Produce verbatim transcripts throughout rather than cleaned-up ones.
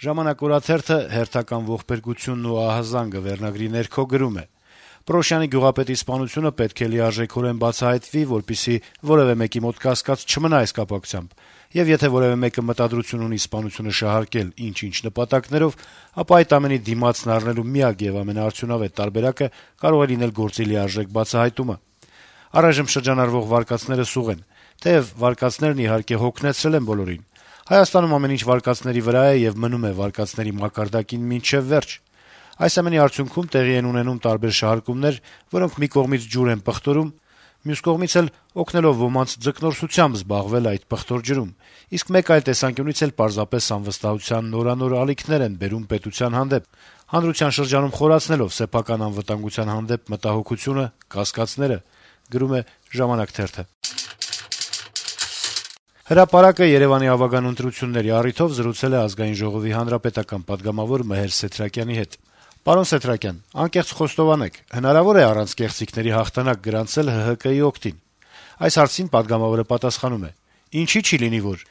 Ժամանակ օրաթերթը հերթական ողբերգությունն ու ահազանգը վերնագրի ներքո գրում է. Պրոշյանի գյուղապետի սպանությունը պետք է լիարժեքորեն բացահայտվի, որպեսզի որեւէ մեկի մոտ կասկած չմնա այս կապակցությամբ, եւ եթե որեւէ մեկը մտադրություն ունի սպանությունը շահարկել ինչ-ինչ նպատակներով, ապա այդ ամենի դիմացն առնելու միակ եւ ամենաարդյունավետ տարբերակը կարող է լինել գործի լիարժեք բացահայտումը։ Առայժմ շրջանառվող վարկածները սուղ են, թեեւ վարկածներն իհարկե հոգնեցրել են բոլորին։ Հայաստանում ամեն ինչ վարկածների վրա է եւ մնում է վարկածների մակարդակին մինչեւ վերջ։ Այս ամենի արդյունքում տեղի են ունենում տարբեր շահարկումներ, որոնք մի կողմից ջուր են պղտորում, մյուս կողմից էլ օգնելով ոմանց ձկնորսությամբ զբաղվել այդ պղտոր ջրում, իսկ մեկ այլ տեսանկյունից էլ պարզապես անվստահության նորանոր ալիքներ են բերում պետության հանդեպ, հանրության շրջանում խորացնելով սեփական անվտանգության հանդեպ մտահոգությունը, կասկածները, գրում է «Ժամանակ» թերթը։ Հրապարակը Երեւանի ավագան ընտրությունների առիթով զրուցել է Ազգային ժողովի հանրապետական պատգամավոր Մհեր Սեթրակյանի հետ։ Պարոն Սեթրակյան, անկեղծ խոստովանեք, հնարավո՞ր է առանց կեղծիքների հաղթանակ գրանցել ՀՀԿ-ի օգտին։ Այս հարցին պատգամավորը պատասխանում է. Ինչի՞ չի լինի որ։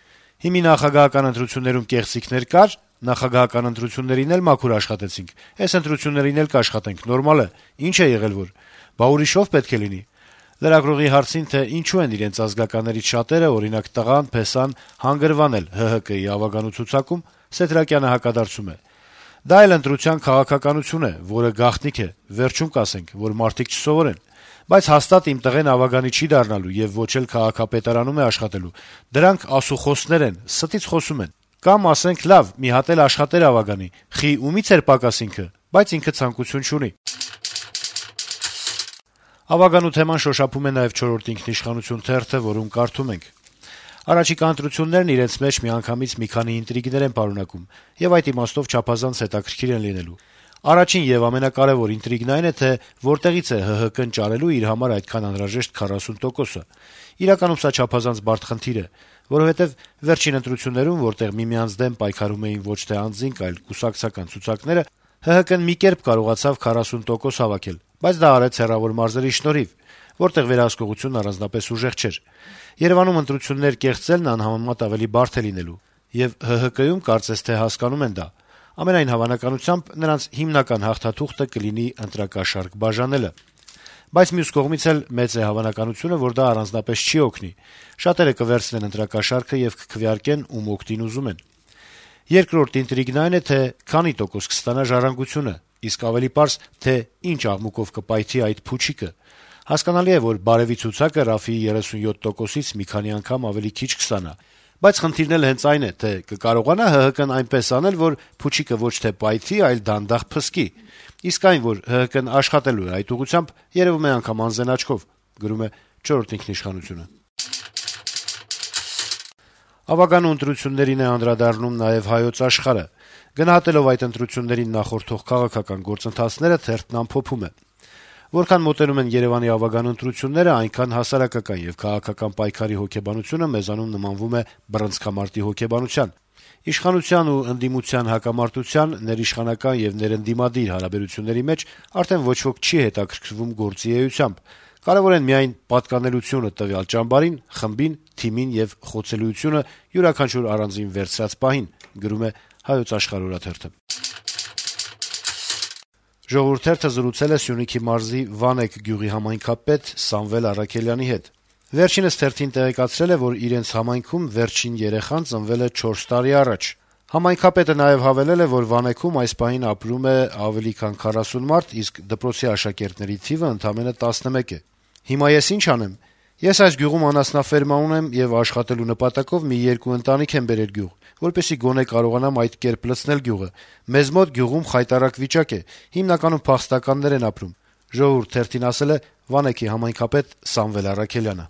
Հիմի նախագահական ընտրություններում կեղծիքներ կար, նախագահական ընտրություններին էլ մաքուր աշխատեցինք, այս ընտրություններին էլ կաշխատենք, նորմալ է, ինչ է եղել որ։ Բա ուրիշով պետք է լինի։ Լրագրողի հարցին, թե ինչու են իրենց ազգականներից շատերը, օրինակ տղան, փեսան, հանգրվանել ՀՀԿ-ի ավագանու ցուցակում, Սեթրակյանը հակադարձում է. Դա էլ ընտրության քաղաքականություն է, որը գաղտնիք է, վերջում կասենք, որ մարդիկ չսովորեն, բայց հաստատ իմ տղեն ավագանի չի դառնալու եւ ոչ էլ քաղաքապետարանում է աշխատելու։ Դրանք ասուխոսներ են, ստից խոսում են։ Կամ ասենք, լավ, մի հատ էլ աշխատեր ավագանի, խի ումից էր պակաս ինքը, բայց ինքը ցանկություն չունի։ Ավագանու թեման շոշափում է նաեւ չորրորդ ինքնիշխանություն թերթը, որում կարդում ենք. Առաջիկա ընտրություններն իրենց մեջ միանգամից մի քանի ինտրիգներ են պարունակում, եւ այդ իմաստով չափազանց հետաքրքիր են լինելու։ Առաջին եւ ամենակարևոր ինտրիգն այն է, թե որտեղից է ՀՀԿ-ն ճարելու իր համար այդքան անհրաժեշտ քառասուն տոկոսը։ Իրականում սա չափազանց բարդ խնդիր է, որովհետեւ վերջին ընտրություններում, որտեղ միմյանց դեմ պայքարում էին ոչ թե անձինք, այլ կուսակցական ցուցակները, ՀՀԿ-ն մի կերպ կարողացավ քառասուն տոկոս հավաքել, բայց դա արեց հեռավոր մարզերի շնորհիվ, որտեղ վերահսկողությունն առանձնապես ուժեղ չէր։ Երևանում ընտրություններ կեղծելն անհամեմատ ավելի բարդ է լինելու, եւ ՀՀԿ-ում կարծես թե հասկանում են դա։ Ամենայն հավանականությամբ նրանց հիմնական հաղթաթուղթը կլինի ընտրակաշառք բաժանելը։ Բայց մյուս կողմից էլ մեծ է հավանականությունը, որ դա առանձնապես չի օգնի։ Շատերը կվերցնեն ընտրակաշառքը եւ կքվեարկեն ում օգտին ուզում են։ Երկրորդ ինտրիգն այն է, թե քանի տոկոս կստանա ժառանգությունը, իսկ ավելի պարզ, թե ինչ աղմուկով կպայթի այդ փուչիկը։ Հասկանալի է, որ բարեւի ցուցակը Ռաֆիի երեսունյոթ տոկոսից մի քանի անգամ ավելի քիչ կստանա, բայց խնդիրն էլ հենց այն է, թե կկարողանա ՀՀԿ-ն այնպես անել, որ փուչիկը ոչ թե պայթի, այլ դանդաղ փսկի։ Իսկ այն, որ ՀՀԿ-ն աշխատելու է այդ ուղղությամբ, երևում է անգամ անզեն աչքով, գրում է չորրորդ ինքնիշխանությունը։ Ավագանու ընտրություններին է անդրադառնում նաեւ Հայոց Աշխարհը։ Գնահատելով այդ ընտրություններին նախորդող քաղաքական գործընթացները, թերթն ամփոփում է. Որքան մոտենում են Երեւանի ավագան ընտրությունները, այնքան հասարակական եւ քաղաքական պայքարի հոգեբանությունը մեզանում նմանվում է բռնցքամարտի հոգեբանության։ Իշխանության ու ընդդիմության հակամարտության, ներիշխանական եւ ներընդդիմադիր հարաբերությունների մեջ արդեն ոչ ոք չի հետաքրքրվում գործի էությամբ։ Կարեւոր են միայն պատկանելությունը տվյալ ճամբարին, խմբին, թիմին եւ խոցելիությունը յուրաքանչյուր առանձին վերցրած պահին, գրում է Հայոց Աշխարհ օրաթերթը։ Ժողովուրդ թերթը զրուցել է Սյունիքի մարզի Վանեք գյուղի համայնքապետ Սամվել Առաքելյանի հետ։ Վերջինս թերթին տեղեկացրել է, որ իրենց համայնքում վերջին երեխան ծնվել է չորս տարի առաջ։ Համայնքապետը նաեւ հավելել է, որ Վանեքում այս պահին ապրում է ավելի քան քառասուն մարդ, իսկ դպրոցի աշակերտների թիվը ընդամենը տասնմեկ է։ Հիմա ես ինչ անեմ։ Ես այս գյուղում անասնաֆերմա ունեմ եւ աշխատելու նպատակով մի երկու ընտանիք եմ բերել գյուղ, որպեսզի գոնե կարողանամ այդ կերպ լցնել գյուղը։ Մեզ մոտ գյուղում խայտարակ վիճակ է, հիմնականում փախստականներ են ապրում, ժողովուրդ թերթին ասել է Վանեքի համայնքապետ Սամվել Առաքելյանը։